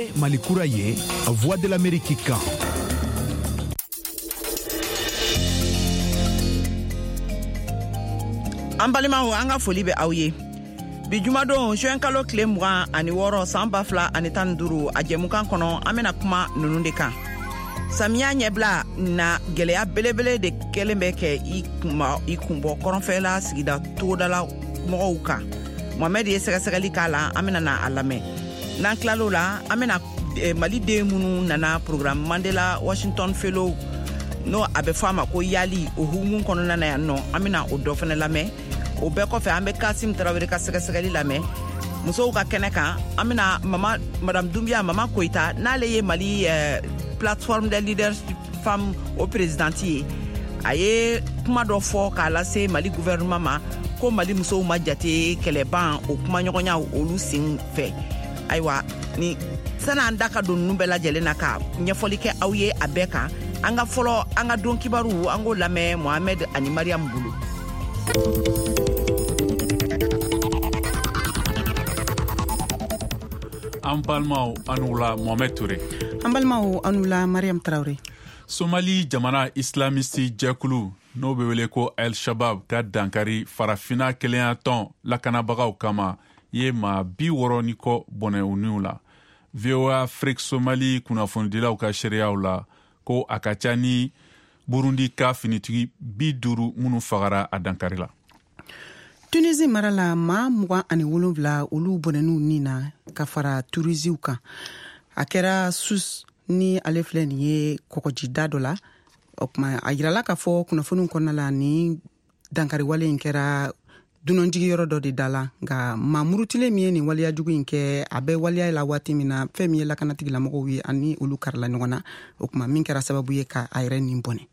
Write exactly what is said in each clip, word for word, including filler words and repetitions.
Ye Mali kura ye, Voix de l'Amérique kan. An balimaw, an ka foli bɛ aw ye. Bi jumadon, juin kalo tile mugan ani wɔɔrɔ, san ba fila ani tan ni duuru, a jɛmukan kɔnɔ, an bɛna kuma ninnu de kan. Samiya ɲɛbila na, gɛlɛya belebele de kɛlen bɛ kɛ i kunba i kunbɔ kɔrɔnfɛla sigida togodala mɔgɔw kan. Mohamɛd ye sɛgɛsɛgɛli k'a la, an bɛna na a lamɛn. N'an tilal'o la, an bɛna eh, Mali den minnu nana programme Mandela Washington Fellow, n'o a bɛ fɔ a ma ko YALI, o hukumu kɔnɔna na yan nɔ, an bɛna o dɔ fana lamɛn. O bɛɛ kɔfɛ, an bɛ Kasim Tarawele ka sɛgɛsɛgɛli lamɛn. Musow ka kɛnɛ kan, an bɛna mama Madame Dumbuya Mama Koyita, n'ale ye Mali eh, plateforme des leaders femmes o présidente ye, a ye kuma dɔ fɔ k'a lase Mali gouvernement ma ko Mali musow ma jate kɛlɛban o kumaɲɔgɔnya olu sen fɛ. Ayiwa, ni san'an da ka don ninnu bɛɛ lajɛlen na ka ɲɛfɔli kɛ aw ye a bɛɛ kan, an ka fɔlɔ an ka don kibaru, an k'o lamɛn Mohamɛd ani Mariam bolo. An balimaw, an wula. Mohamed Touré. An balimaw, an wula. Mariam Traoré. Somali jamana islamiste jɛkulu, n'o bɛ wele ko El Shabab, ka dankari Farafina kelenya tɔn lakanabagaw kama ye maa bi wɔɔrɔ ni kɔ bɔnɛ u niw la. V O A Afrique Somali kunnafonidilaw ka seereyaw la ko a ka ca ni Burundi ka finitigi bi duuru minnu fagara a dankari la. Tunisi mara la, maa mugan ani wolonfila olu bɔnɛn'u nin na ka fara turisiw kan. A kɛra Sus ni ale filɛ nin ye kɔgɔjida dɔ la. O tuma, a yirala k'a fɔ kunnafoniw kɔnɔna la, ni dankariwale in kɛra dunanjigiyɔrɔ dɔ de da la. Nka maa murutilen min ye nin waleya jugu in kɛ, a bɛ waleya la waati min na, fɛn min ye lakanatigilamɔgɔw ye ani olu karila ɲɔgɔn na, o tuma min kɛra sababu ye ka a yɛrɛ nin bɔnɛ.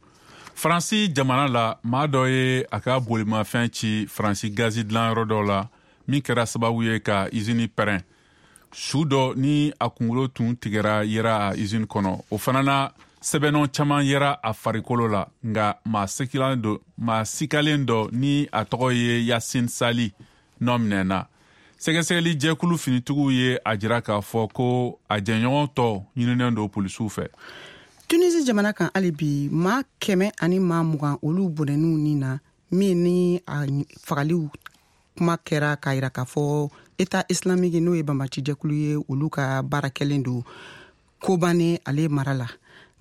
Faransi jamana la, maa dɔ ye a ka bolimafɛn ci Faransi gazi dilanyɔrɔ dɔ la, min kɛra sababu ye ka izini pɛrɛn. Su dɔ ni a kunkolo tun tigɛra yera a izini kɔnɔ. O fana na, sɛbɛnnɔ caman yera a farikolo la. Nka maa sikalen dɔ maa sikalen dɔ ni a tɔgɔ ye Yasin Sali nɔ minɛna. Sɛgɛsɛgɛli jɛkulu finitigiw ye a jira k'a fɔ ko a jɛɲɔgɔn tɔ ɲininen don polisiw fɛ. Tunisi jamana kan hali bi, maa kɛmɛ ani maa mugan olu bɔnɛn'u nin na, min ni a fagaliw kuma kɛra k'a yira k'a fɔ État islamique, n'o ye banbacijɛkulu ye, olu ka baara kɛlen don Kobane ale mara la.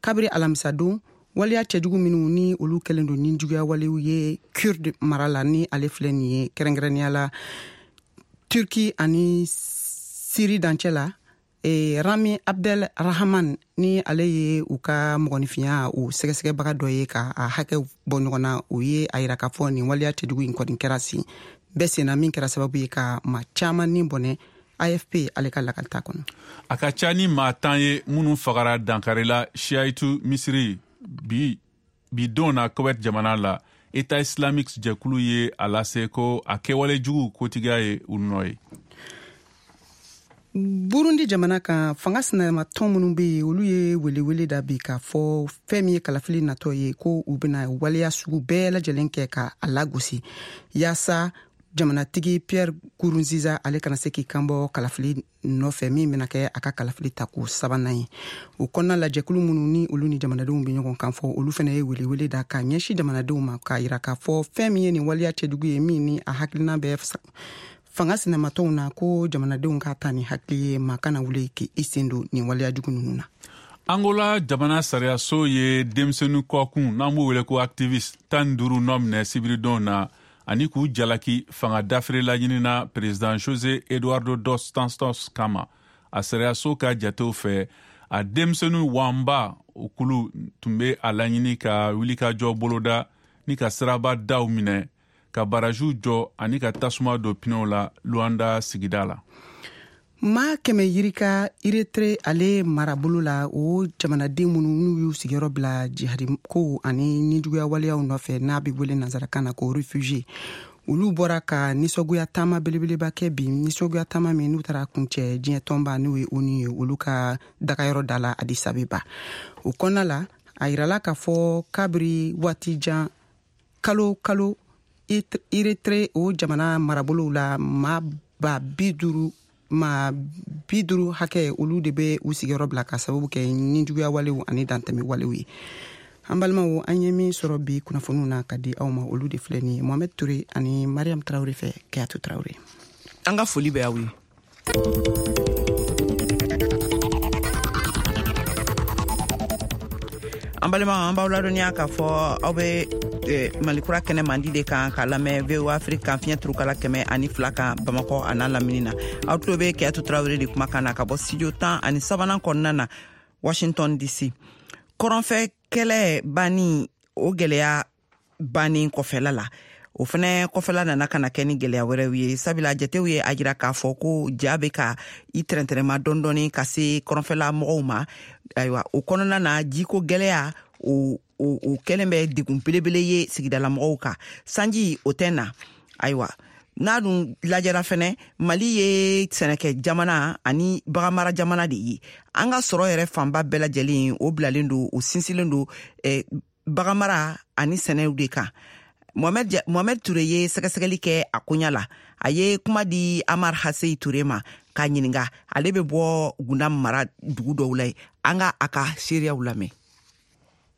Kabiri alamisadon, waleya cɛjugu minnu ni olu kɛlen don ni juguya walew ye Kurde mara la, ni ale filɛ nin ye kɛrɛnkɛrɛnnenya la Turki ani Siri dancɛ la, e, Rami Abdel Rahman, ni ale ye u ka mɔgɔninfinya o sɛgɛsɛgɛbaga dɔ ye ka a hakɛ bɔ ɲɔgɔn na, o ye a yira k'a fɔ nin waleya cɛjugu in kɔni kɛra sen bɛɛ senna, min kɛra sababu ye ka maa caman ni bɔnɛ, A F P ale ka lakalita kɔnɔ. A ka ca ni maa tan ye minnu fagara dankarila Shiaitu Misiri bi bi don na Kuwait jamana la. État islamique jɛkulu ye a lase ko a kɛwale jugu kotigiya ye u nɔ ye. Burundi jamana kan, fanga sinamatɔn minnu bɛ yen, olu ye welewele da bi k'a fɔ fɛn min ye kalafili natɔ ye, ko u bɛna waleya sugu bɛɛ lajɛlen kɛ ka a lagosi yaasa jamanatigi Pierre Nkurunziza ale kana se k'i kanbɔ kalafili nɔfɛ, min bɛna kɛ a ka kalafili tako sabanan ye. O kɔnɔna la, jɛkulu minnu ni olu ni jamanadenw bɛ ɲɔgɔn kan fɔ, olu fana ye welewele da ka ɲɛsin jamanadenw ma k'a yira k'a fɔ fɛn min ye nin waleya cɛjugu ye, min ni a hakilina bɛ fanga sinamatɔnw na, ko jamanadenw ka ta ni hakili ye, maa kana wuli k'i sen don nin waleya jugu ninnu na. Angola jamana sariyaso ye denmisɛnnin kɔkun, n'an b'o wele ko activiste, tan ni duuru nɔ minɛ sibiridon na ani k'u jalaki fanga dafiri laɲinina président José Eduardo dos Santos kama. A sariyaso ka jatew fɛ, a denmisɛnnin wanba o kulu tun bɛ a laɲini ka wulikajɔ boloda ni ka siraba daw minɛ, ka barajiw jɔ ani ka tasuma don pinɛw la Luanda sigida la. Maa kɛmɛ yirika Erythrée ale marabolo la, o jamanaden minnu n'u y'u sigiyɔrɔ bila jihadi kow ani nijuguya waleyaw nɔfɛ, n'a bɛ wele nansarakan na ko réfugié, olu bɔra ka nisɔngoya taama belebeleba kɛ bi, nisɔngoya taama min n'u taara kuncɛ diɲɛ tɔnba, n'o ye ONU ye, olu ka dagayɔrɔ da la Addis Abeba. O kɔnɔna la, a yirala k'a fɔ kabiri waati jan, kalo kalo, Erythrée o jamana marabolow la, maa ba bi duuru maa bi duuru hakɛ olu de bɛ u sigiyɔrɔ bila ka sababu kɛ nijuguya walew ani dantɛmɛ walew ye. An balimaw, an ye min sɔrɔ bi kunnafoniw na ka di aw ma, olu de filɛ nin ye Mohamed Touré ani Mariam Traoré fɛ. Kayatu Traoré, an ka foli bɛ aw ye. An balima, an b'aw ladɔnniya k'a fɔ aw bɛ Malikura kɛnɛ mandi de kan k'a lamɛn V O A Afrique kan fiɲɛ turukala kɛmɛ ani fila kan Bamakɔ a n'a lamini na. Aw tulo bɛ Kayatu Traoré de kumakan na ka bɔ studio tan ani sabanan kɔnɔna na Washington D C. Kɔrɔnfɛ kɛlɛ banni, o gɛlɛya bannen kɔfɛla la, o fɛnɛ kɔfɛla nana ka na kɛ ni gɛlɛya wɛrɛw ye, sabula jatew ye a jira k'a fɔ ko ja bɛ ka i tɛrɛntɛrɛma dɔɔni dɔɔni ka se kɔrɔnfɛla mɔgɔw ma. Ayiwa, o kɔnɔna na jiko gɛlɛya o o o kɛlen bɛ degun belebele ye sigidala mɔgɔw kan. Sanji o tɛ na. Ayiwa, n'a dun lajɛra fɛnɛ, Mali ye sɛnɛkɛ jamana ani baganmara jamana de ye. An ka sɔrɔ yɛrɛ fanba bɛɛ lajɛlen o bilalen don, o sinsinlen don eh, baganmara ani sɛnɛw de kan. Mohamed, Mohamed Touré ye sɛgɛsɛgɛli kɛ a koɲa la. A ye kuma di Amar Hasei Touré ma k'a ɲininka. Ale bɛ bɔ Gundam mara dugu dɔw la yen. An ka a ka seereyaw lamɛn.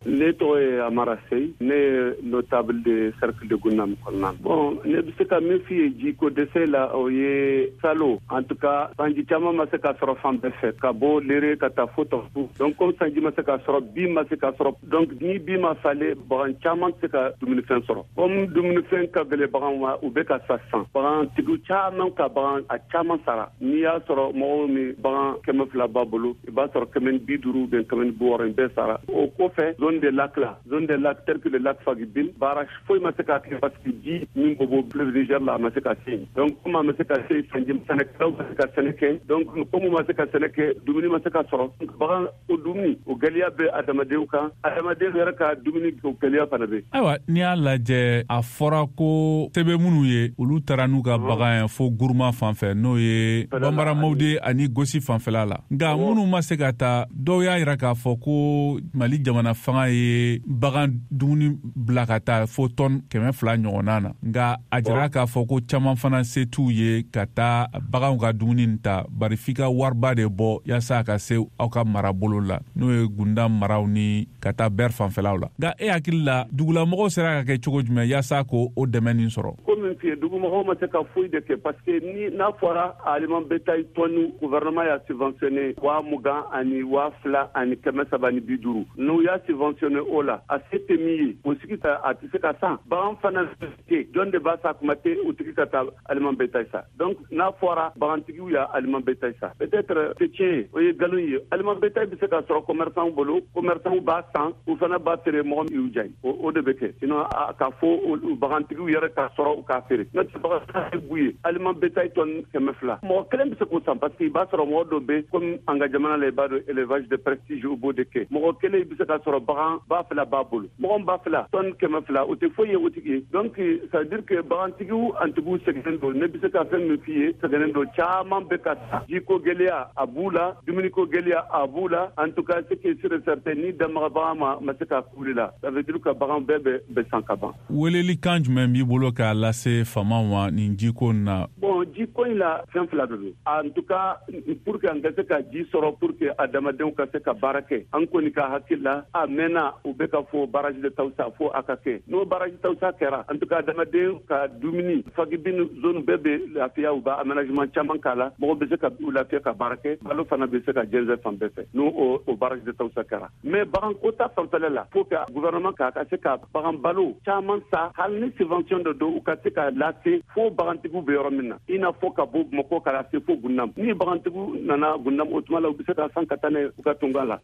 Ne tɔgɔ ye Amara Sey, ne ye notable de cercle de Gundam kɔnɔna. Bon, ne bɛ se ka min f'i ye jiko dɛsɛ la, o ye salo. En tout cas, sanji caman ma se ka sɔrɔ fan bɛɛ fɛ, ka bɔ Lere ka taa fo Tɔnbukutu. Donc comme sanji ma se ka sɔrɔ, bin ma se ka sɔrɔ, donc ni bin ma falen, bagan caman tɛ se ka dumunifɛn sɔrɔ. Comme dumunifɛn ka gɛlɛn bagan ma, u bɛ ka sa sisan. Bagantigiw caman ka bagan a caman sara. N'i y'a sɔrɔ mɔgɔw min bagan kɛmɛ fila b'a bolo, i b'a sɔrɔ kɛmɛ ni bi duuru bɛn kɛmɛ ni bi wɔɔrɔ in bɛɛ sara. O kɔfɛ, zone de lac la, zone de lac tel que le lac Faguibine, barrage foyi ma se ka kɛ parce que ji min bɔ bɔ fleuve Niger la, a ma se ka se yen. Donc comme a ma se ka se, sanji sɛnɛkɛlaw ma se ka sɛnɛ kɛ. Donc comme ma se ka sɛnɛ kɛ, dumuni ma se ka sɔrɔ. Bagan o dumuni o gɛlɛya bɛ adamadenw kan, adamadenw yɛrɛ ka dumuni o gɛlɛya fana bɛ. Ayiwa, n'i y'a lajɛ, a fɔra ko sɛbɛn minnu ye, olu taara n'u ka bagan ye fo Guruma fan fɛ, n'o ye Banbara Mawude ani Gosi fanfɛla la. Nka minnu ma se ka taa, dɔw y'a jira k'a fɔ ko Mali jamana fanga ye bagan dumuni bila ka taa fo tɔn kɛmɛ fila ɲɔgɔnna na. Nka a jira k'a fɔ ko caman fana se t'u ye ka taa baganw ka dumuni ta, bari f'i ka wariba de bɔ yaasa a ka se aw ka marabolo la, n'o ye Gundam maraw ni ka taa Bɛr fanfɛlaw la. Nka e hakili la, dugulamɔgɔw sera ka kɛ cogo jumɛn yaasa k'o o dɛmɛ nin sɔrɔ? Ko min f'i ye, dugumɔgɔw ma se ka foyi de kɛ parce que ni n'a fɔra aliment bétail tɔni, gouvernement y'a subventionné waa mugan ani waa fila ani kɛmɛ saba ni bi duuru. N'u y'a subventionné o la, a se tɛ min ye, o sigi ta a tɛ se ka san. Bagan fana tɛ, jɔn de b'a sa kuma tɛ o tigi ka taa aliment bétail sa. Donc n'a fɔra bagantigiw y'a aliment bétail sa, peut-être tɛ tiɲɛ ye, o ye nkalon ye. Aliment bétail bɛ se ka sɔrɔ commerçant bolo, commerçant b'a san, u fana b'a feere mɔgɔ min y'u diya ye, o de bɛ kɛ. Sinon k'a fɔ bagantigiw yɛrɛ k'a sɔrɔ u k'a feere, n'o tɛ bagan tɛ b'u ye. Aliment bétail tɔni kɛmɛ fila, mɔgɔ kelen bɛ se k'o san parce que i b'a sɔrɔ mɔgɔ dɔ bɛ comme an ka jamana la, i b'a dɔn élevage de prestige u b'o de kɛ. Mɔgɔ kelen bɛ se ka sɔrɔ bagan ba fila b'a bolo, mɔgɔ ba fila tɔni kɛmɛ fila, o tɛ foyi ye o tigi ye. Donc ça veut dire que bagantigiw antigiw sɛgɛnnen don. Ne bɛ se ka fɛn min f'i ye, sɛgɛnnen don, caman bɛ ka sa. Jiko gɛlɛya a b'u la, dumuniko gɛlɛya a b'u la. En tout cas, ce qui est sûr et certain, ni damaga bagan ma ma se ka kuli la, ça veut dire que bagan bɛɛ bɛ bɛ san ka ban. Weleli kan jumɛn b'i bolo k'a lase faamaw ma nin jiko in na? Bon, jiko in la, fɛn fila de don. En tout cas, pour que an ka se ka ji sɔrɔ, pour que adamadenw ka se ka baara kɛ, an kɔni ka hakili la, a mɛnna u bɛ ka fɔ barrage de Tawusa fo a ka kɛ. N'o barrage Tawusa kɛra, en tout cas adamaden ka dumuni Faguibine zone bɛɛ bɛ lafiya, u b'a aménagement caman k'a la, mɔgɔ bɛ se ka u lafiya ka baara kɛ, balo fana bɛ se ka jɛnsɛn fan bɛɛ fɛ n'o o barrage de Tawusa kɛra. Mais bagan ko ta fanfɛla la, faut que gouvernement ka ka se ka bagan balo caman sa, hali ni subvention de don, u ka se ka lase fo bagantigiw bɛ yɔrɔ min na, i n'a fɔ ka bɔ Bamakɔ ka lase fo Gundam. Ni bagantigiw nana Gundam, o tuma la u bɛ se ka san ka taa n'a ye u ka tunga la.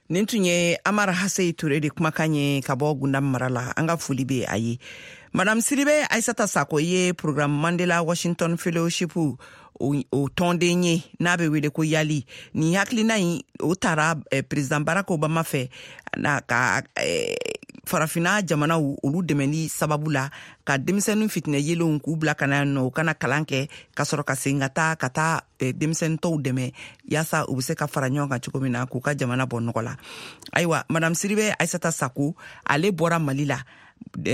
Nin tun ye Amar Hasei Touré de kumakan ye ka bɔ Gundam mara la. An ka foli bɛ a ye. Madame Sidibe Aissata Sako ye programme Mandela Washington Fellowship o, o tɔnden ye n'a bɛ wele ko Yali. Nin hakilina in o taara eh, président Barack Obama fɛ na ka eh, farafinna jamanaw olu dɛmɛli sababu la ka denmisɛnnin fitinɛ yelenw k'u bila ka na nɔ, u kana kalan kɛ ka sɔrɔ ka segin ka taa ka taa denmisɛnnin tɔw dɛmɛ yaasa u bɛ se ka fara ɲɔgɔn kan cogo min na k'u ka jamana bɔ nɔgɔ la. Ayiwa, madame Sidibe Aissata Sako, ale bɔra Mali la.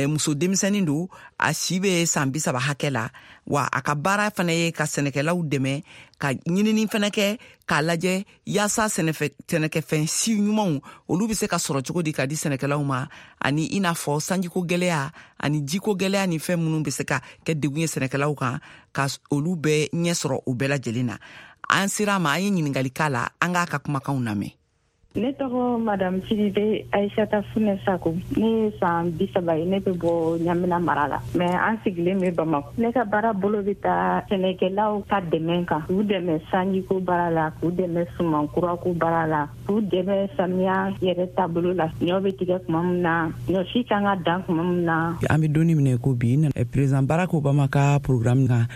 Muso denmisɛnnin don, a si bɛ san bi saba hakɛ la, wa a ka baara fana ye ka sɛnɛkɛlaw dɛmɛ ka ɲinini fana kɛ k'a lajɛ yaasa sɛnɛkɛfɛn si ɲumanw olu bɛ se ka sɔrɔ cogo di ka di sɛnɛkɛlaw ma, ani i n'a fɔ sanjiko gɛlɛya ani jiko gɛlɛya ni fɛn minnu bɛ se ka kɛ degun ye sɛnɛkɛlaw kan, ka olu bɛɛ ɲɛ sɔrɔ o bɛɛ lajɛlen na. An sera a ma, an ye ɲininkali k'a la, an k'a ka kumakanw lamɛn. Ne tɔgɔ Madame Sidibe Aïssata Funɛ Sako. Ne ye san bi saba ye, ne bɛ bɔ Ɲamina mara la, mais an sigilen bɛ Bamakɔ. Ne ka baara bolo bɛ taa sɛnɛkɛlaw ka dɛmɛ kan, k'u dɛmɛ sanjiko baara la, k'u dɛmɛ suman kurako baara la, k'u dɛmɛ samiya yɛrɛ taabolo la, ɲɔ bɛ tigɛ tuma min na, ɲɔ si kan ka dan tuma min na. An bɛ donni minɛ ko bi, président Barack Obama ka programme kan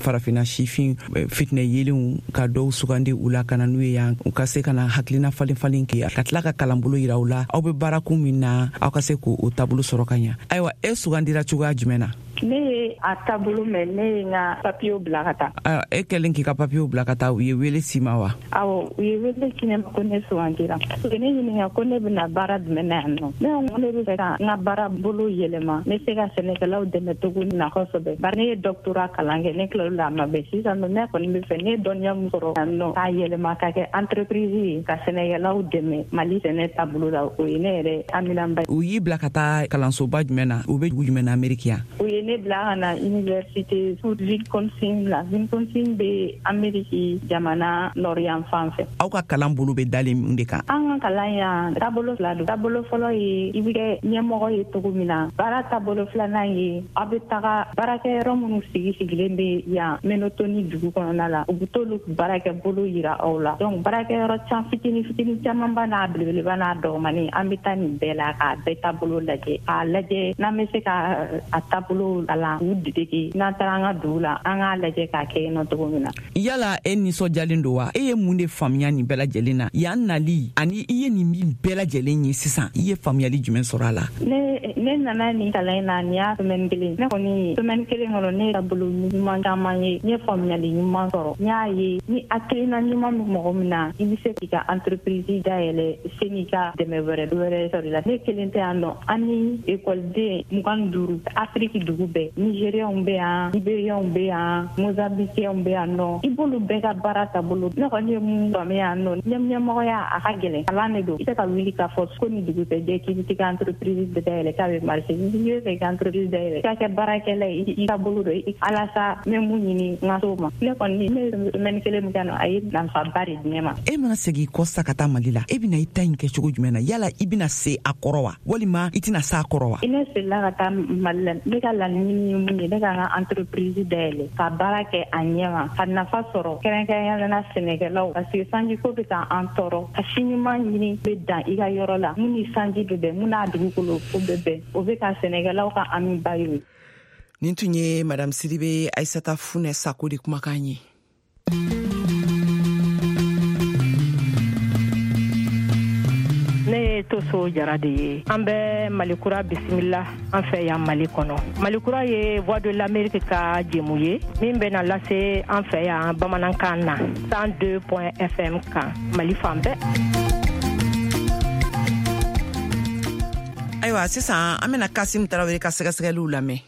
farafinna sifin fitinɛ yelenw ka dɔw sugandi u la ka na n'u ye yan, u ka se ka na hakilina falen falen ka tila ka kalanbolo yira u la, aw bɛ baarakun min na, aw ka se k'o taabolo sɔrɔ ka ɲa. Ayiwa, e sugandira cogoya jumɛn na? Ne ye a taabolo mɛn, ne ye n ka papiyew bila ka taa. Ayiwa, e kɛlen k'i ka papiyew bila ka taa, u ye wele s'i ma wa? Awɔ, u ye wele ci ne ma ko ne sugandira. U ye ne ɲininka ko ne bɛna baara jumɛn na yan nɔ. Ne ko ne bɛ fɛ ka n ka baara bolo yɛlɛma, n bɛ se ka sɛnɛkɛlaw dɛmɛ cogo min na kosɛbɛ. Bari ne ye doctorat kalan kɛ, ne tilal'o la a ma bɛn. Sisan nɔ, ne kɔni bɛ fɛ ne ye dɔnniya min sɔrɔ yan nɔ k'a yɛlɛma ka kɛ entreprise ye, ka sɛnɛkɛlaw dɛmɛ Mali sɛnɛ taabolo la, o ye ne yɛrɛ haminanba ye. U y'i bila ka taa kalansoba jumɛn na? U bɛ dugu jumɛn na Ameriki yan? U ye ne bila ka na université Wisconsin la. Wisconsin bɛ Ameriki jamana nord fan fɛ. Aw ka kalan bolo bɛ dalen mun de kan? An ka kalan yan taabolo fila don. Taabolo fɔlɔ ye i bɛ kɛ ɲɛmɔgɔ ye cogo min na. Baara taabolo filanan ye aw bɛ taga baarakɛyɔrɔ minnu sigi sigilen bɛ yan Menotoni dugu kɔnɔna la, u bɛ t'olu baarakɛ bolo yira aw la. Donc baarakɛyɔrɔ can fitinin fitinin camanba n'a belebeleba n'a dɔgɔmanin, an bɛ taa nin bɛɛ la k'a bɛɛ taabolo lajɛ, k'a lajɛ n'an bɛ se ka a taabolo kalan k'u dege. N'an taara an ka dugu la, an k'a lajɛ k'a kɛ yen nɔ cogo min na. Yala e nisɔndiyalen don wa? E ye mun de faamuya nin bɛɛ lajɛlen na yan nali, ani i ye nin min bɛɛ lajɛlen ye sisan, i ye faamuyali jumɛn sɔrɔ a la? Ne ne nana nin kalan in na, nin y'a semaine kelen. Ne kɔni semaine kelen kɔnɔ, ne taabolo ɲuman caman ye, n ye faamuyali ɲuman sɔrɔ. N y'a ye ni hakilina ɲuman bɛ mɔgɔ min na, i bɛ se k'i ka entreprise dayɛlɛ seni ka dɛmɛ wɛrɛ wɛrɛ sɔrɔ i la. Ne kelen tɛ yan nɔ, an ni ekɔliden mugan ni duuru Afiriki dugu bɛɛ, Nigériens bɛ yan, Libériens bɛ yan, Mozambiquiens bɛ yan nɔ. I b'olu bɛɛ ka baara taabolo. Ne kɔni ye mun faamuya yan nɔ, ɲɛmɔgɔya a ka gɛlɛn, kalan de don. I tɛ ka wuli k'a fɔ ko ni dugu tɛ jɛ k'i bɛ t'i ka entreprise dayɛlɛ k'a bɛ marcher. N'i bɛ fɛ i ka entreprise dayɛlɛ, i ka kɛ baarakɛla ye, i ka bolo don alasa n bɛ mun ɲini n ka s'o ma. Ne kɔni ne ye semaine kelen min kɛ nɔ, a ye nafaba de di ne ma. E mana segin kɔ sa ka taa Mali la, e bɛna i ta in kɛ cogo jumɛn na? Yala i bɛna se a kɔrɔ wa, walima i tɛna se a kɔrɔ wa? Ne seginna ka taa Mali la, ne ka laɲini ye mun ye, ne ka n ka entreprise dayɛlɛ ka baara kɛ a ɲɛ ma, ka nafa sɔrɔ kɛrɛnkɛrɛnnenya la sɛnɛkɛlaw, parce que sanjiko bɛ ka an tɔɔrɔ. Ka si ɲuman ɲini bɛ dan i ka yɔrɔ la, mun ni sanji bɛ bɛn, mun n'a dugukolo ko bɛ bɛn, o bɛ ka sɛnɛkɛlaw ka hamiba ye. Nin tun ye Madame Sidibe Aïssata Funɛ Sako de kumakan ye. Ne ye Toso Jara de ye. An bɛ Malikura bisimila an fɛ yan Mali kɔnɔ. Malikura ye Voix de l'Amérique ka jɛmu ye min bɛna lase an fɛ yan bamanankan na cent deux point F M kan Mali fan bɛɛ. Ayiwa, sisan an bɛna Kasim Tarawele ka sɛgɛsɛgɛliw lamɛn.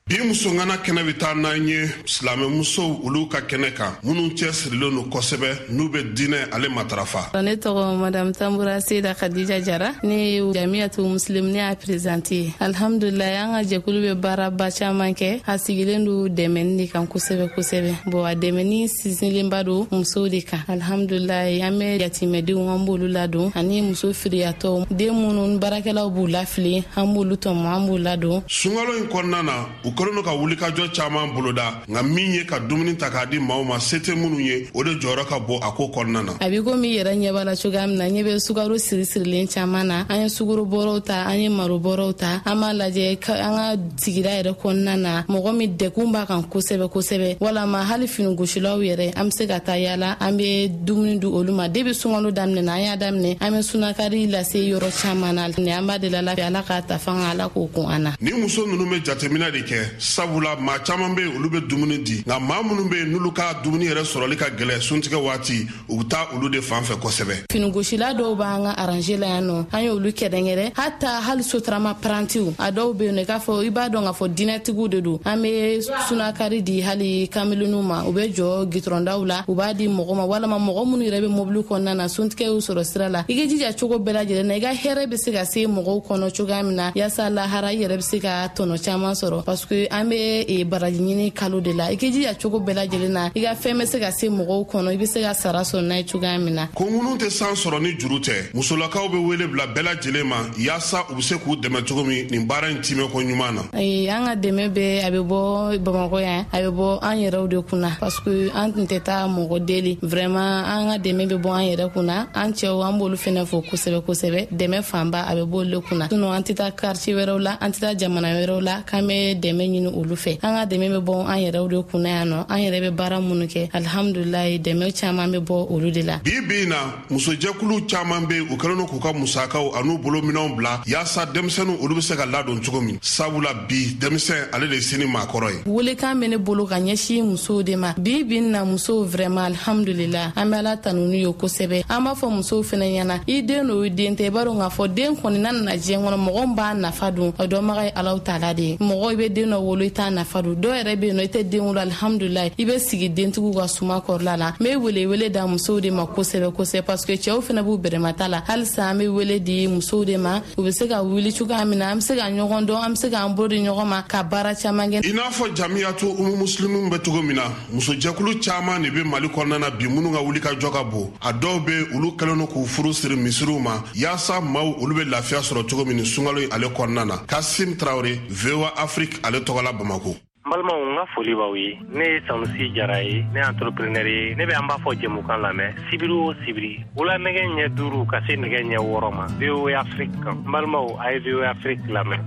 Bi musongana kɛnɛ bɛ taa n'an ye silamɛmusow olu ka kɛnɛ kan, minnu cɛsirilen don kosɛbɛ n'u bɛ diinɛ ale matarafa. Ne tɔgɔ Madame Tambura Seyida Khadija Jara, ne ye Jamiyatu Muslim, ne y'a présidente ye. Alhamdulilayi, an ka jɛkulu bɛ baaraba caman kɛ, a sigilen don dɛmɛni de kan kosɛbɛ kosɛbɛ. Bon, a dɛmɛni sinsinlenba don musow de kan. Alhamdulilayi, an bɛ yatimɛdenw an b'olu ladon, ani muso firiyatɔw, den minnu baarakɛlaw b'u lafili, an b'olu tɔmɔ, an b'u ladon. Sunkalo in kɔnɔna na, u kɛlen don ka wulikajɔ caman boloda, nka min ye ka dumuni ta k'a di maaw ma se tɛ minnu ye, o de jɔyɔrɔ ka bon a ko kɔnɔna na. A b'i komi i yɛrɛ ɲɛ b'a la cogoya min na, ɲɛ bɛ sukaro siri sirilen caman na. An ye sukaro bɔrɔw ta, an ye maro bɔrɔw ta, an b'a lajɛ an ka sigida yɛrɛ kɔnɔna na, mɔgɔ min degun b'a kan kosɛbɛ kosɛbɛ, walama hali finigosilaw yɛrɛ, an bɛ se ka taa yala, an bɛ dumuni di olu ma. Debi sunkalo daminɛ na, an y'a daminɛ, an bɛ sunakari lase yɔrɔ caman na. An b'a deli Ala fɛ, Ala k'a ta fanga, Ala k'o kun an na. Ni muso ninnu bɛ jateminɛ de kɛ kosɛbɛ, sabula maa caman bɛ yen olu bɛ dumuni di, nka maa minnu bɛ yen n'olu ka dumuni yɛrɛ sɔrɔli ka gɛlɛn suntigɛ waati, u bɛ taa olu de fan fɛ kosɛbɛ. Finigosila dɔw b'an ka arranger la yan nɔ, an y'olu kɛrɛnkɛrɛn, hata hali sotarama parantiw a dɔw bɛ yen nɔ, i k'a fɔ i b'a dɔn k'a fɔ diinɛtigiw de don. An bɛ sunakari di hali kameleniw ma, u bɛ jɔ gitɔrɔndaw la, u b'a di mɔgɔ ma, walama mɔgɔ minnu yɛrɛ bɛ mobili kɔnɔna na, suntigɛ y'u sɔrɔ sira la. I k'i jija cogo bɛɛ lajɛlen na, i ka hɛrɛ bɛ se ka se mɔgɔw kɔnɔ cogoya min na, yaasa lahara i yɛrɛ bɛ se ka tɔnɔ caman sɔrɔ, parce que an bɛ baraji ɲini kalo de la. I k'i jija cogo bɛɛ lajɛlen na, i ka fɛn bɛ se ka se mɔgɔw kɔnɔ, i bɛ se ka sara sɔrɔ n'a ye cogoya min na. Ko minnu tɛ san sɔrɔ ni juru tɛ, musolakaw bɛ wele bila bɛɛ lajɛlen ma yaasa u bɛ se k'u dɛmɛ cogo min nin baara in timɛko ɲuman na. Ayi, an ka dɛmɛ bɛ a bɛ bɔ Bamakɔ yan, a bɛ bɔ an yɛrɛw de kunna, parce que an tun tɛ taa mɔgɔ deli. Vraiment an ka dɛmɛ bɛ bɔ an yɛrɛ kunna, an cɛw an b'olu fɛnɛ fo kosɛbɛ kosɛbɛ. Dɛmɛ fanba a bɛ bɔ olu de kunna, sinon an tɛ taa quartier wɛrɛw la, an tɛ taa jamana wɛrɛw la k'an bɛ dɛmɛ ɲini olu fɛ. An ka dɛmɛ bɛ bɔ an yɛrɛw de kunna yan nɔ, an yɛrɛ bɛ baara minnu kɛ, alhamdulilayi dɛmɛ caman bɛ bɔ olu de la. Bi bi in na, musojɛkulu caman bɛ yen, u kɛlen don k'u ka musakaw an'u bolominɛnw bila yaasa denmisɛnninw olu bɛ se ka ladon cogo min, sabula bi denmisɛn ale de ye sini maakɔrɔ ye. Welekan bɛ ne bolo ka ɲɛsin musow de ma bi bi in na. Musow vraiment alhamdulillah, an bɛ Ala tanu n'u ye kosɛbɛ. An b'a fɔ musow fɛnɛ ɲɛna, i den n'o i den tɛ, i b'a dɔn k'a fɔ den kɔni n'a nana diɲɛ kɔnɔ, mɔgɔ min b'a nafa dun, o dɔnbaga ye Alahu taala de ye. Mɔgɔ i bɛ den dɔ wolo, i t'a nafa dun, dɔw yɛrɛ bɛ yen nɔ, i tɛ den wolo, alhamdulilayi i bɛ sigi dentigiw ka suma kɔrɔla la. N bɛ wele wele da musow de ma kosɛbɛ kosɛbɛ, parce que cɛw fɛnɛ b'u bɛrɛmata la. Halisa an bɛ wele di musow de ma, u bɛ se ka wuli cogoya min na, an bɛ se ka ɲɔgɔn dɔn, an bɛ se k'an bolo di ɲɔgɔn ma ka baara caman kɛ. I n'a fɔ jamiyatu umu musilimu bɛ cogo min na, musojɛkulu caman de bɛ Mali kɔnɔna na bi minnu ka wuli ka jɔ ka bon. A dɔw bɛ olu kɛlen don k'u furu siri misiriw ma yaasa maaw olu bɛ lafiya sɔrɔ cogo min nin sunkalo in ale kɔnɔna na. Kasim Traoré, V O A Afrique ale tɔgɔ la Bamako. N balimaw, n ka foli b'aw ye. Ne ye Sanusi Jara ye, ne ye entrepreneur ye. Ne bɛ an b'a fɔ jɛmukan lamɛn sibiri o sibiri wula nɛgɛ ɲɛ duuru ka se nɛgɛ ɲɛ wɔɔrɔ ma V O A Afrique kan. N balimaw, a ye V O A Afrique lamɛn.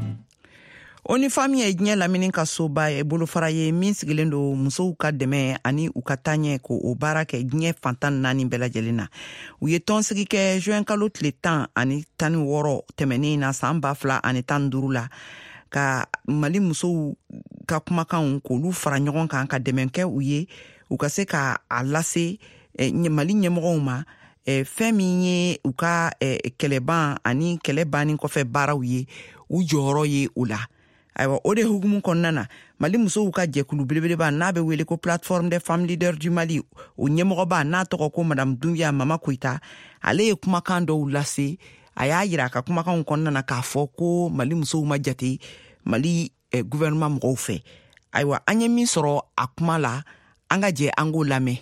O N U Femmes ye diɲɛ lamini ka soba ye, bolofara ye min sigilen don musow ka dɛmɛ ani u ka taaɲɛ ko o baara kɛ diɲɛ fantan naani bɛɛ lajɛlen na. U ye tɔnsigi kɛ juin kalo tile tan ani tan ni wɔɔrɔ tɛmɛnen na san ba fila ani tan duuru la, ka Mali musow ka kumakanw k'olu fara ɲɔgɔn kan ka dɛmɛ kɛ u ye, u ka se ka a lase Mali ɲɛmɔgɔw ma, fɛn min ye u ka kɛlɛban ani kɛlɛ banni kɔfɛ baaraw ye, u jɔyɔrɔ ye o la. Ayiwa, o de hukumu kɔnɔna na, Mali musow ka jɛkulu belebeleba n'a bɛ wele ko Plateforme des femmes leaders du Mali, o ɲɛmɔgɔba n'a tɔgɔ ko Madame Doumbia Mama Koyita, ale ye kumakan dɔw lase. A y'a yira a ka kumakanw kɔnɔna na k'a fɔ ko Mali musow ma jate Mali eh, gouvernement mɔgɔw fɛ. Ayiwa, an ye min sɔrɔ a kuma la, an ka jɛ an k'o lamɛn.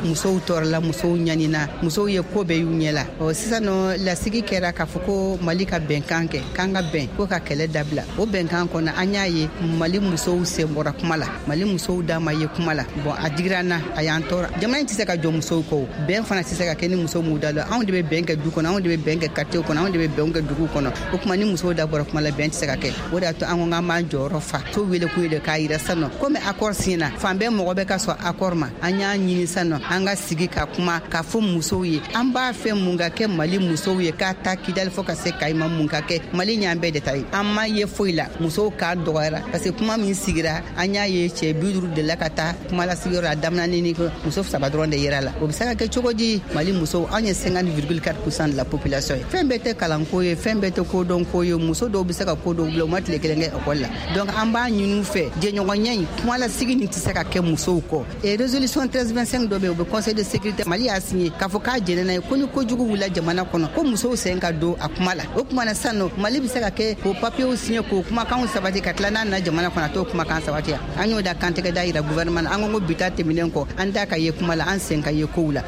Musow tɔɔrɔla, musow ɲanina, musow ye ko bɛɛ y'u ɲɛ la. Ɔ sisan nɔ, lasigi kɛra k'a fɔ ko Mali ka bɛnkan kɛ, k'an ka bɛn ko ka kɛlɛ dabila. O bɛnkan kɔnɔ, an y'a ye Mali musow sen bɔra kuma la, Mali musow da ma ye kuma la. Bon, a digira an na, a y'an tɔɔrɔ. Jamana in tɛ se ka jɔ musow kɔ, bɛn fana tɛ se ka kɛ ni musow m'u da la. Anw de bɛ bɛn kɛ du kɔnɔ, anw de bɛ bɛn kɛ quartier kɔnɔ, anw de bɛ bɛn kɛ dugu kɔnɔ. O tuma ni musow da bɔra kuma la, bɛn tɛ se ka kɛ. O de y'a to an ko k'an b'an jɔyɔrɔ fa. So wele kun ye de k'a yira sisan nɔ komi accord signé, fan bɛɛ mɔgɔ bɛ ka sɔn accord ma. An y'a ɲini sisan nɔ an ka sigi ka kuma k'a fɔ musow ye, an b'a fɛ mun ka kɛ Mali musow ye, k'a ta Kidali fo ka se Kayi ma, mun ka kɛ Mali ɲan bɛɛ de ta ye. An ma ye foyi la, musow k'a dɔgɔyara, parce que kuma min sigira, an y'a ye cɛ bi duuru de la ka taa kuma lasigiyɔrɔ la, daminɛ ni muso saba dɔrɔn de yera la. O bɛ se ka kɛ cogo di? Mali musow, anw ye cinquante virgule quatre pour cent de la population ye. Fɛn bɛɛ tɛ kalanko ye, fɛn bɛɛ tɛ kodɔnko ye. Muso dɔw bɛ se ka ko dɔw bila, u ma tile kelen kɛ ekɔli la. Donc an b'a ɲini u fɛ, jɛɲɔgɔnya in, kuma lasigi nin tɛ se ka kɛ musow kɔ. Et résolution treize vingt-cinq dɔ bɛ yen, o bɛ conseil de sécurité, Mali y'a signé k'a fɔ k'a jɛnɛ n'a ye ko ni kojugu wulila jamana kɔnɔ, ko musow sen ka don a kuma la. O kuma na sisan nɔ, Mali bɛ se ka kɛ k'o papiyew signé, k'o kumakanw sabati, ka tila n'a nana jamana kɔnɔ, a t'o kumakan sabati. An y'o da kantigɛ da yira gouvernement na. An ko ko bi ta tɛmɛnen kɔ, an da ka ye kuma la, an sen ka ye kow la.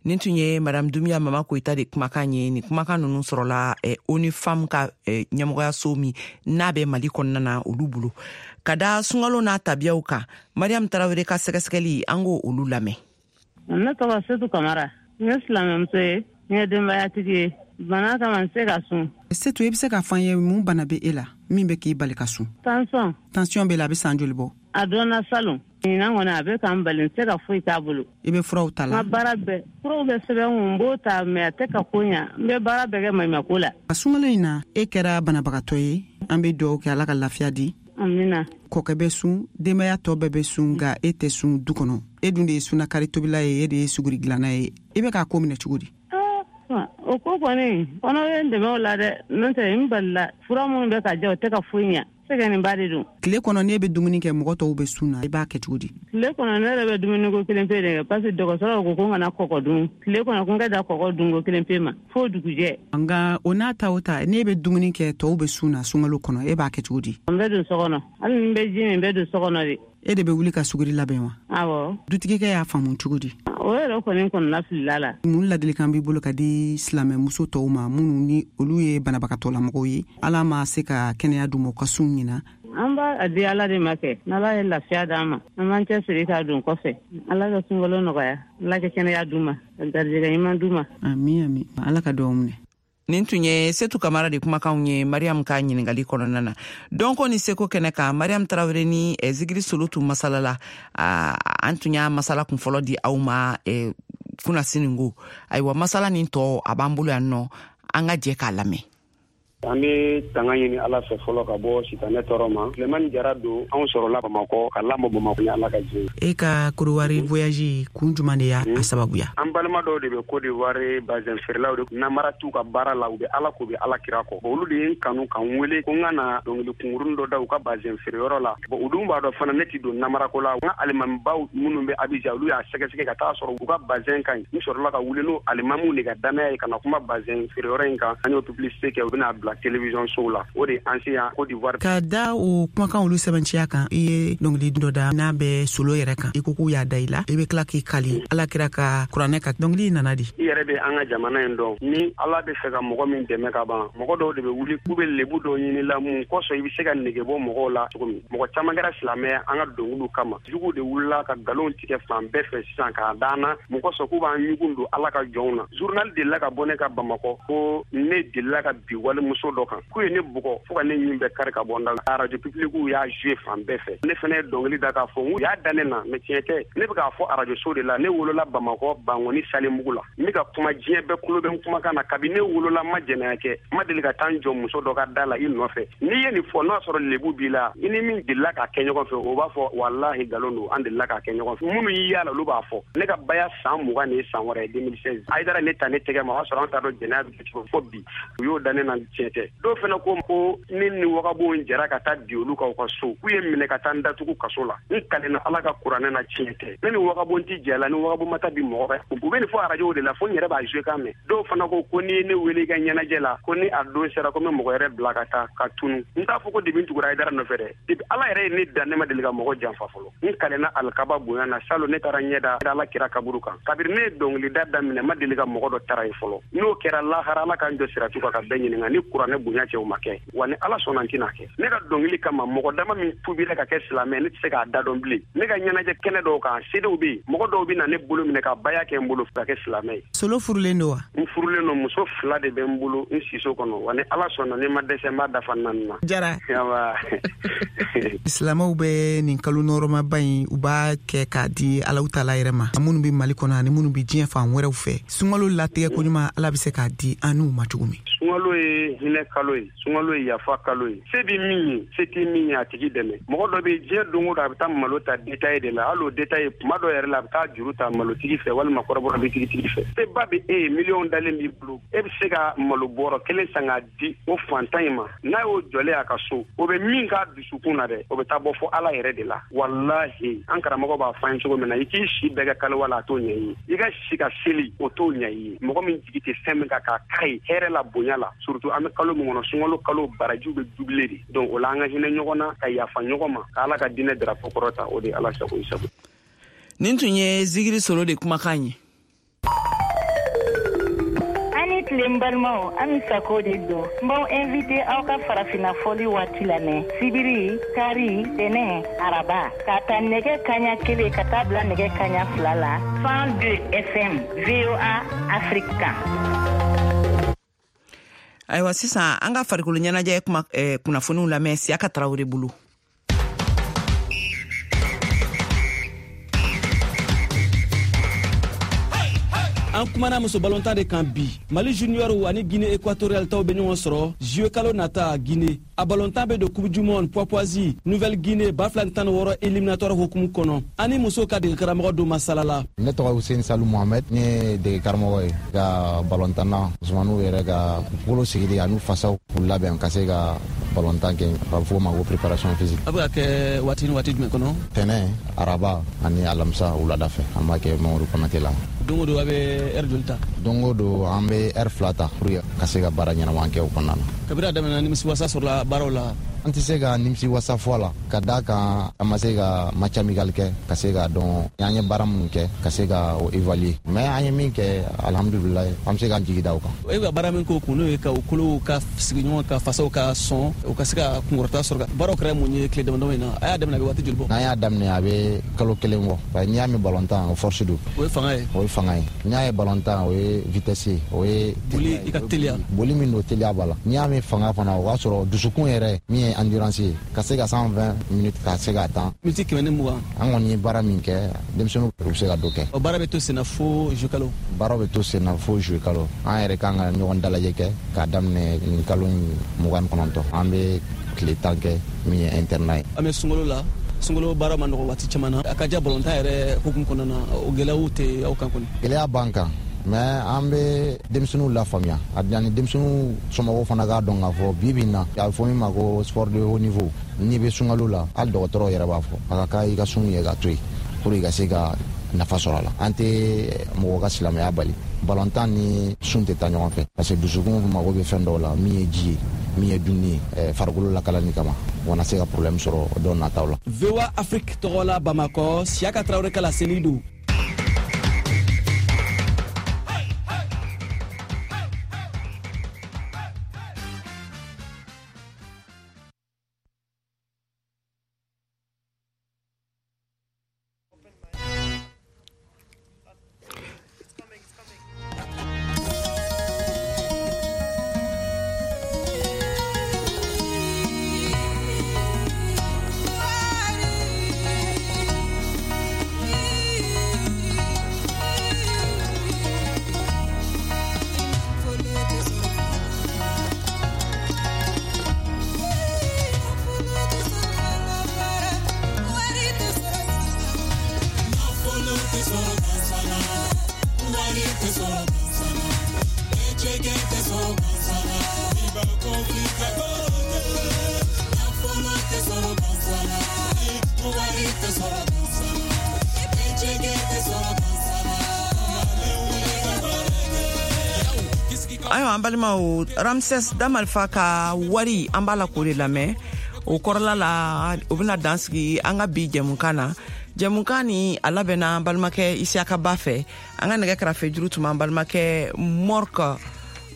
Nin tun ye Madame Doumbia Mama Koyita de kumakan ye. Nin kumakan ninnu sɔrɔla eh, O N U Femmes ka eh, ɲɛmɔgɔyaso min n'a bɛ Mali kɔnɔna na, olu bolo. Ka da sunkalo n'a tabiyaw kan, Mariam Tarawele ka sɛgɛsɛgɛli, an k'o olu lamɛn. Ne tɔgɔ Setu Kamara, n ye silamɛmuso ye, n ye denbayatigi ye. Bana kama n se ka sun. Setu, i bɛ se k'a fɔ an ye mun bana bɛ e la min bɛ k'i bali ka sun? Tension. Tension bɛ la, a bɛ san joli bɔ? A dɔnna salon. Ɲinan kɔni a bɛ k'an bali, n tɛ ka foyi t'a bolo. I bɛ furaw ta la? N ka baara bɛɛ, furaw bɛ sɛbɛn kun, n b'o ta, mais a tɛ ka ko ɲa. N bɛ baara bɛɛ kɛ maɲumako la. A sunkalo in na, e kɛra banabagatɔ ye. An bɛ dugawu kɛ, Ala ka lafiya di. Amina. Kɔkɛ bɛ sun, denbaya tɔ bɛɛ bɛ sun, nka e tɛ sun du kɔnɔ. E dun de ye sunakari tobila ye, e de ye suguri dilanna ye. I bɛ k'a ko minɛ cogo di? O ko kɔni, kɔnɔ bɛ n dɛmɛ o la dɛ, n'o tɛ n balila fura minnu bɛ ka jɛ o tɛ ka foyi ɲɛ. Sɛgɛnba de don. Tile kɔnɔ n'e bɛ dumuni kɛ, mɔgɔ tɔw bɛ sun na, i b'a kɛ cogo di? Tile kɔnɔ ne yɛrɛ bɛ dumuni ko kelen pe de kɛ, parce que dɔgɔtɔrɔw ko ko n kana kɔgɔ dun. Tile kɔnɔ ko n ka da kɔgɔ dun ko kelen pe ma fo dugujɛ. Nka o n'a ta o ta, n'e bɛ dumuni kɛ tɔw bɛ sun na sunkalo kɔnɔ, e b'a kɛ cogo di? N bɛ don so kɔnɔ, hali ni n bɛ ji min, n bɛ don so kɔnɔ de. E de bɛ wuli ka suguri labɛn wa? Awɔ. Dutigikɛ y'a faamu cogo di? O yɛrɛ kɔni kɔnɔna filila la. Mun ladilikan b'i bolo ka di silamɛmuso tɔw ma minnu ni olu ye banabagatɔlamɔgɔw ye, Ala ma se ka kɛnɛya d'u ma u ka sun ɲina? An b'a di Ala de ma kɛ, n'Ala ye lafiya d'an ma, an b'an cɛsiri k'a don kɔfɛ. Ala ka sunkalo nɔgɔya, Ala ka kɛnɛya d'u ma, ka garijɛgɛ ɲuman d'u ma. Ami ami, Ala ka duwawu minɛ. Nin tun ye Setu Kamara de kumakanw ye Mariam ka ɲininkali kɔnɔna na. Dɔnko ni seko kɛnɛ kan, Mariam Tarawele ni eh, Zigiri Solo tun masala la. An tun y'a masala kun fɔlɔ di aw ma eh, kunasininko. Ayiwa, masala nin tɔ a b'an bolo yan nɔ, an ka jɛ k'a lamɛn. An bɛ tanga ɲini Ala fɛ fɔlɔ ka bɔ sitanɛ tɔɔrɔ ma. Sulemani Jara don, anw sɔrɔla Bamakɔ ka lamɔ Bamakɔ ni Ala ka jɛ. E ka Kodowari voyage kun jumɛn de y'a sababuya? An balima dɔw de bɛ Côte d'Ivoire bazɛn feerelaw de namara t'u ka baara la, u bɛ Ala ko, u bɛ Ala kira kɔ. Bon, olu de ye n kanu ka n wele ko n ka na dɔnkili kunkuruni dɔ da u ka bazɛn feereyɔrɔ la. Bon, u dun b'a dɔn fana ne ti don namarako la. N ka alimamibaw minnu bɛ Abidjan, olu y'a sɛgɛsɛgɛ ka taa sɔrɔ u ka bazɛn ka ɲi. N sɔrɔla ka wuli n'o alimamiw de ka danaya ye ka na kuma bazɛn feereyɔrɔ in kan. An y'o publicité kɛ, u bɛna bila télévision sow la. O de an se yan Côte d'Ivoire. Ka da o kumakan olu sɛbɛnciya kan, i ye dɔnkili dɔ da n'a bɛ solo yɛrɛ kan, i ko k'u y'a da i la, i bɛ tila k'i kali Ala kira ka kuranɛ kan. Dɔnkili nana di? I yɛrɛ bɛ an ka jamana in dɔn, ni Ala bɛ fɛ ka mɔgɔ min dɛmɛ ka ban, mɔgɔ dɔw de bɛ wuli k'u bɛ lebu dɔw ɲini la mun kosɔn i bɛ se ka nege bɔ mɔgɔw la cogo min. Mɔgɔ caman kɛra silamɛ an ka dɔnkiliw kama. Juguw de wulila ka nkalon tigɛ fan bɛɛ fɛ sisan k'a d'an na mun kosɔn k'u b'an ɲugun don Ala ka jɔnw na. Journal delila ka bɔ ne ka Bamakɔ ko ne delila ka bi walimuso dɔ kan k'u ye ne bugɔ fo ka ne ɲin bɛɛ kari ka bɔ n da la. Arajo public y'a joué fan bɛɛ fɛ. Ne fana ye dɔnkili da k'a fɔ n y'a da ne na, mais tiɲɛ tɛ. Ne bɛ k'a fɔ arajo so de la, ne wolola Bamakɔ Bangoni Salimugu la. N bɛ ka kuma diɲɛ bɛɛ kulo bɛ n kumakan na. Kabi ne wolola n ma jɛnɛya kɛ, n ma deli ka taa n jɔ muso dɔ ka da la i nɔfɛ. N'i ye nin fɔ, n'o y'a sɔrɔ lebu b'i la, i ni min delila k'a kɛ ɲɔgɔn fɛ, o b'a fɔ walahi nkalon don, an delila k'a kɛ ɲɔgɔn fɛ. Minnu y'i y'a la, olu b'a fɔ. Ne ka baya san mugan ni san wɛrɛ ye deux mille seize. Ayidara ne ta ne tɛgɛ ma, o y'a sɔrɔ an t'a dɔn jɛnɛya bɛ kɛ cogo fo bi. U y'o da ne na, tiɲɛ tɛ. Dɔw fana ko ko ne ni wagabonw jɛra ka taa bi olu kan u ka so, k'u ye minɛ ka taa n datugu kaso la. N kalenna Ala ka kuranɛ na, tiɲɛ tɛ. Ne ni wagabon ti jɛ la, ni wagabon ma taa bi mɔgɔ kan. U bɛ nin fɔ arajow de la, fo n yɛrɛ b'a joué kan mɛn. Dɔw fana ko ko n'i ye ne wele i ka ɲɛnajɛ la, ko ni a don sera ko n bɛ mɔgɔ yɛrɛ bila ka taa ka tunu. N t'a fɔ ko debi n tugura Ayidara nɔfɛ dɛ. Debi Ala yɛrɛ ye ne da, ne ma deli ka mɔgɔ janfa fɔlɔ. N kalenna alikaba bonya na, salon ne taara ɲɛ da Ala kira kaburu kan. Kabiri ne ye dɔnkilida daminɛ, n ma deli ka mɔgɔ dɔ tara ye fɔlɔ. N'o kɛra lahara, Ala k'an jɔ siratu kan ka bɛɛ ɲininka. Ni kuranɛ bonya cɛ, o ma kɛ. Wa ni Ala sɔnna, n tɛna kɛ. Ne ka dɔnkili kama, mɔgɔ dama min tubira ka kɛ silamɛ, ne tɛ se k'a da dɔn bilen. Ne ka ɲɛnajɛ kɛnɛ dɔw kan, sedew bɛ yen, mɔgɔ dɔw bɛ na ne bolo minɛ ka baya kɛ n bolo ka kɛ silamɛ ye. Solo furulen don wa? N furulen don, muso fila de bɛ n bolo n siso kɔnɔ. Wa ni Ala sɔnna, ne ma dɛsɛ, n b'a dafa naani na. Jara. Silamɛw Silamɛw bɛ nin kalo nɔrɔmaba in, u b'a kɛ k'a di Alahu taala yɛrɛ ma, minnu bɛ Mali kɔnɔ ani minnu bɛ diɲɛ fan wɛrɛw fɛ. Sunkalo latigɛ koɲuman, Ala bɛ se k'a di an n'u ma cogo min. Sunkalo ye hinɛ kalo ye, sunkalo ye yafa kalo ye. Se bɛ min ye, se tɛ min ye, a tigi dɛmɛ. Mɔgɔ dɔ bɛ diɲɛ don o don, a bɛ taa malo ta détail de la. Hali o détail, kuma dɔ yɛrɛ la, a bɛ taa juru ta malotigi fɛ walima kɔrɔbɔrɔ bitigitigi fɛ. Seba bɛ e ye, miliyɔn dalen b'i bolo, e bɛ se ka malo bɔrɔ kelen san k'a di o fantan in ma. N'a y'o jɔlen a ka so, o bɛ min k'a dusukun na dɛ, o bɛ taa bɔ fo Ala yɛrɛ de la. Walahi, an karamɔgɔ b'a fɔ an ye cogo min na, i k'i si bɛɛ kɛ kaliwa la, a t'o ɲɛ i ye. I ka si ka seli, o t'o ɲɛ i ye. Mɔgɔ min jigi tɛ fɛn min kan k'a k'a ye hɛrɛ la, bonya la, surtout an bɛ kalo min kɔnɔ, sunkalo kalo barajiw bɛ doublé de. Donc o la, an ka hinɛ ɲɔgɔn na, ka yafa ɲɔgɔn ma, ka Ala ka diinɛ drapeau kɔrɔta, o de ye Ala sago i sago. Nin tun ye Zigiri Solo de kumakan ye. Ani tile n balimaw, Ami Sako de don. N b'aw invité aw ka farafinna fɔli waati lamɛn sibiri, kari, tɛnɛ, araba, k'a ta nɛgɛ kaɲa kelen ka taa bila nɛgɛ kaɲa fila la, cent deux F M V O A Afrique kan. Ayiwa, sisan an ka farikolo ɲɛnajɛ kuma eh, kunnafoniw lamɛn Siyaka Tarawele bolo. An kumana muso balontan de kan bi. Mali junior ani Guinée équatoriale taw bɛ ɲɔgɔn sɔrɔ juillet kalo nata Guinée. A balontan bɛ don Coupe du monde Papouasie Nouvelle Guinée ba fila ni tan ni wɔɔrɔ éliminatoire hukumu kɔnɔ. Ani muso ka degekaramɔgɔ don masala la. Ne tɔgɔ Hussein Salou Mohamed, ne ye degekaramɔgɔ ye ka balontanna musomaninw yɛrɛ ka bolo sigili ani fasaw k'u labɛn ka se ka balontan kɛ, a bɛ fɔ o ma ko préparation physique. A bɛ ka kɛ waati ni waati jumɛn kɔnɔ? Tɛnɛ, araba ani alamisa wulada fɛ, an b'a kɛ Mamadu Konate la. Don o don a bɛ heure joli ta? Don o don an bɛ heure fila ta pour que ka se ka baara ɲɛnama kɛ o kɔnɔna na. Kabini a daminɛna, nimisiwasa sɔrɔla baaraw la? An tɛ se ka nimisiwasa fɔ a la, ka d'a kan an ma se ka match amical kɛ ka se k'a dɔn an ye baara minnu kɛ ka se ka o évaluer, mais an ye min kɛ, alhamdulilayi, an bɛ se k'an jigi da o kan. E bɛ ka baara min k'o kun, n'o ye ka u kolow ka sigi ɲɔgɔn kan, fasaw ka sɔn, u ka se ka kunkɔrɔta sɔrɔ, baaraw kɛra mun ye tile damadɔ in na? A y'a daminɛ a bɛ waati joli bɔ? N'an y'a daminɛ a bɛ kalo kelen bɔ, parce que n'i y'a mɛn balontan, o force don. O ye fanga ye? O ye fanga ye. N'i y'a ye balontan, o ye vitesse ye, o ye boli, i ka teliya. Boli min don, teliya b'a la. N'i y'a mɛn fanga fana, o b'a sɔrɔ dusukun yɛrɛ min ye endurance ye, ka se ka cent vingt minutes ka se k'a tan. Miniti kɛmɛ ni mugan. An kɔni ye baara min kɛ, denmisɛnninw u bɛ se ka dɔ kɛ. O baara bɛ to senna fo juillet kalo? Baara bɛ to senna fo juillet kalo. An yɛrɛ kan ka ɲɔgɔn dalajɛ kɛ k'a daminɛ nin kalo in mugan ni kɔnɔntɔn. An bɛ tile tan kɛ min ye internat ye. An bɛ sunkalo la. Sunkalo baara ma nɔgɔ waati caman na. A ka diya balontan yɛrɛ hukumu kɔnɔna na, o gɛlɛyaw tɛ aw kan kɔni? Gɛlɛya b'an kan, mais an bɛ denmisɛnninw lafaamuya, ani denmisɛnninw somɔgɔw fana k'a dɔn k'a fɔ bi bi in na, a bɛ fɔ min ma ko sport de haut niveau, n'i bɛ sunkalo la, hali dɔgɔtɔrɔw yɛrɛ b'a fɔ a ka kan i ka sun ye ka to yen pour i ka se ka nafa sɔrɔ a la. An tɛ mɔgɔ ka silamɛya bali, balontan ni sun tɛ taa ɲɔgɔn fɛ, parce que dusukun mago bɛ fɛn dɔw la, min ye ji ye, min ye dumuni ye, farikolo lakalani kama, o kana se ka problème sɔrɔ dɔw nataw la. V O A Afrique tɔgɔ la Bamakɔ, Siyaka Tarawele ka laseli don. Ayiwa an balimaw, Ramses Damalifa ka wari an b'a la k'o de lamɛn. O kɔrɔla la, o bɛna dan sigi an ka bi jɛmukan na. Jɛmukan ni a labɛnna an balimakɛ Isiyaka Ba fɛ. An ka nɛgɛ kɛrɛfɛ juru tun b'an balimakɛ Mork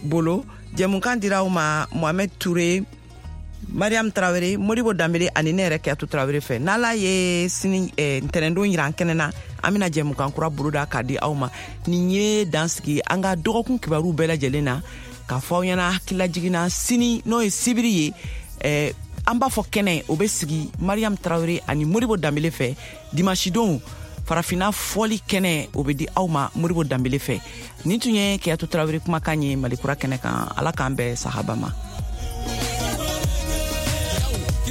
bolo. Jɛmukan dira aw ma Mohamed Touré, Mariam Traoré, Modibo Dambele ani ne yɛrɛ Kiyatu Traoré fɛ. N'Ala ye sini ntɛnɛndon yira an kɛnɛ na, an bɛna jɛmukan kura boloda k'a di aw ma. Nin ye dan sigi an ka dɔgɔkun kibaru bɛɛ lajɛlen na, k'a fɔ aw ɲɛna hakililajigin na sini, n'o ye sibiri ye, eh, an b'a fɔ kɛnɛ o bɛ sigi Mariam Traoré ani Modibo Dambele fɛ. Dimanche don, farafinna fɔli kɛnɛ o bɛ di aw ma Modibo Dambele fɛ. Nin tun ye Kiyatu Traoré kumakan ye Malikura kɛnɛ kan. Ala k'an bɛn sahaba ma.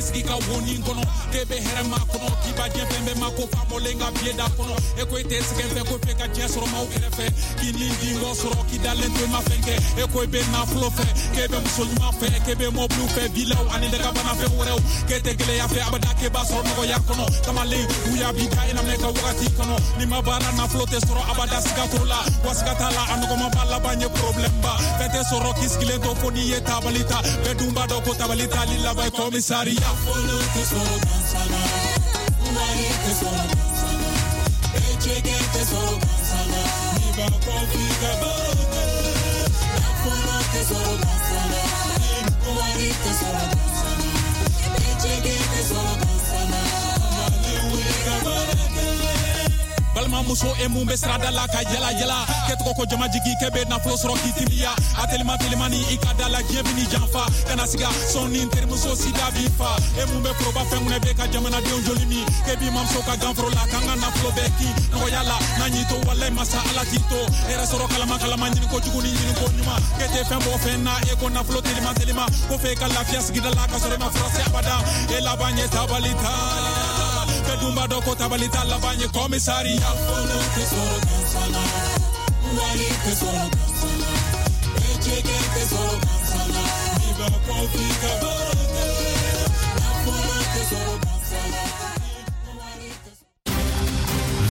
Sigi ka woni kɔnɔ k'e bɛ hɛrɛ ma kɔnɔ, k'i b'a diɲɛ fɛn bɛɛ ma ko faamɔlen ka biye da kɔnɔ, e ko i tɛ sɛgɛn fɛ ko f'e ka diɲɛ sɔrɔ maaw kɛrɛfɛ, k'i ni dingɔ sɔrɔ k'i dalen to i ma fɛn kɛ, e ko i bɛ nafolo fɛ, k'e bɛ muso ɲuman fɛ, k'e bɛ mɔbiliw fɛ, vilaw ani dagabana fɛn wɛrɛw, k'e tɛ gɛlɛya fɛ abada, k'e b'a sɔrɔ nɔgɔya kɔnɔ, kamalen wuya b'i da i na minɛ ka wagati kɔnɔ, n'i ma baara nafolo tɛ sɔrɔ abada, siga t'o la, wa siga t'a la, a nɔgɔman b'a laban ye problème ba, fɛn tɛ sɔrɔ k'i sigilen to fo n'i ye tabali ta, bɛɛ dun b'a dɔn ko tabali tali laban ye komisariya. Nafolo tɛ sɔrɔ gansan na, wari tɛ sɔrɔ gansan na, ejege tɛ sɔrɔ gansan na, n'i b'a kɔ f'i ka baro kɛ. Nafolo tɛ sɔrɔ gansan na, wari tɛ sɔrɔ gansan na, ejege tɛ sɔrɔ gansan na, kamalen wuli ka baara kɛ. Balima Mamuso e mun bɛ sirada la ka yala yala kɛ tɔgɔ ko jama jigi kɛ bɛ nafolo sɔrɔ k'i timiya a telima telimani i ka da la diɲɛ bɛ n'i janfa kana siga sɔn ni terimuso sida b'i fa e mun bɛ foroba fɛn kunɛ bɛ ka jamanadenw joli min k'e b'i mamuso ka ganforo la k'an ka nafolo bɛɛ kin nɔgɔya la n'an y'i to walayi masa ala k'i to hɛrɛ sɔrɔ kalama kalama ɲini kojugu ni ɲini ko ɲuman k'e tɛ fɛn bɔ fɛn na e ko nafolo telima telima ko f'e ka lafiya sigida la ka sɔrɔ e ma fura se abada e laban ye tabali ta bɛɛ dun b'a dɔn ko tabali ta laban ye komisariya. Nafolo tɛ sɔrɔ gansan na, wari tɛ sɔrɔ gansan na, bɛɛ jɛgɛ tɛ sɔrɔ gansan na, n'i b'a kɔn f'i ka baara.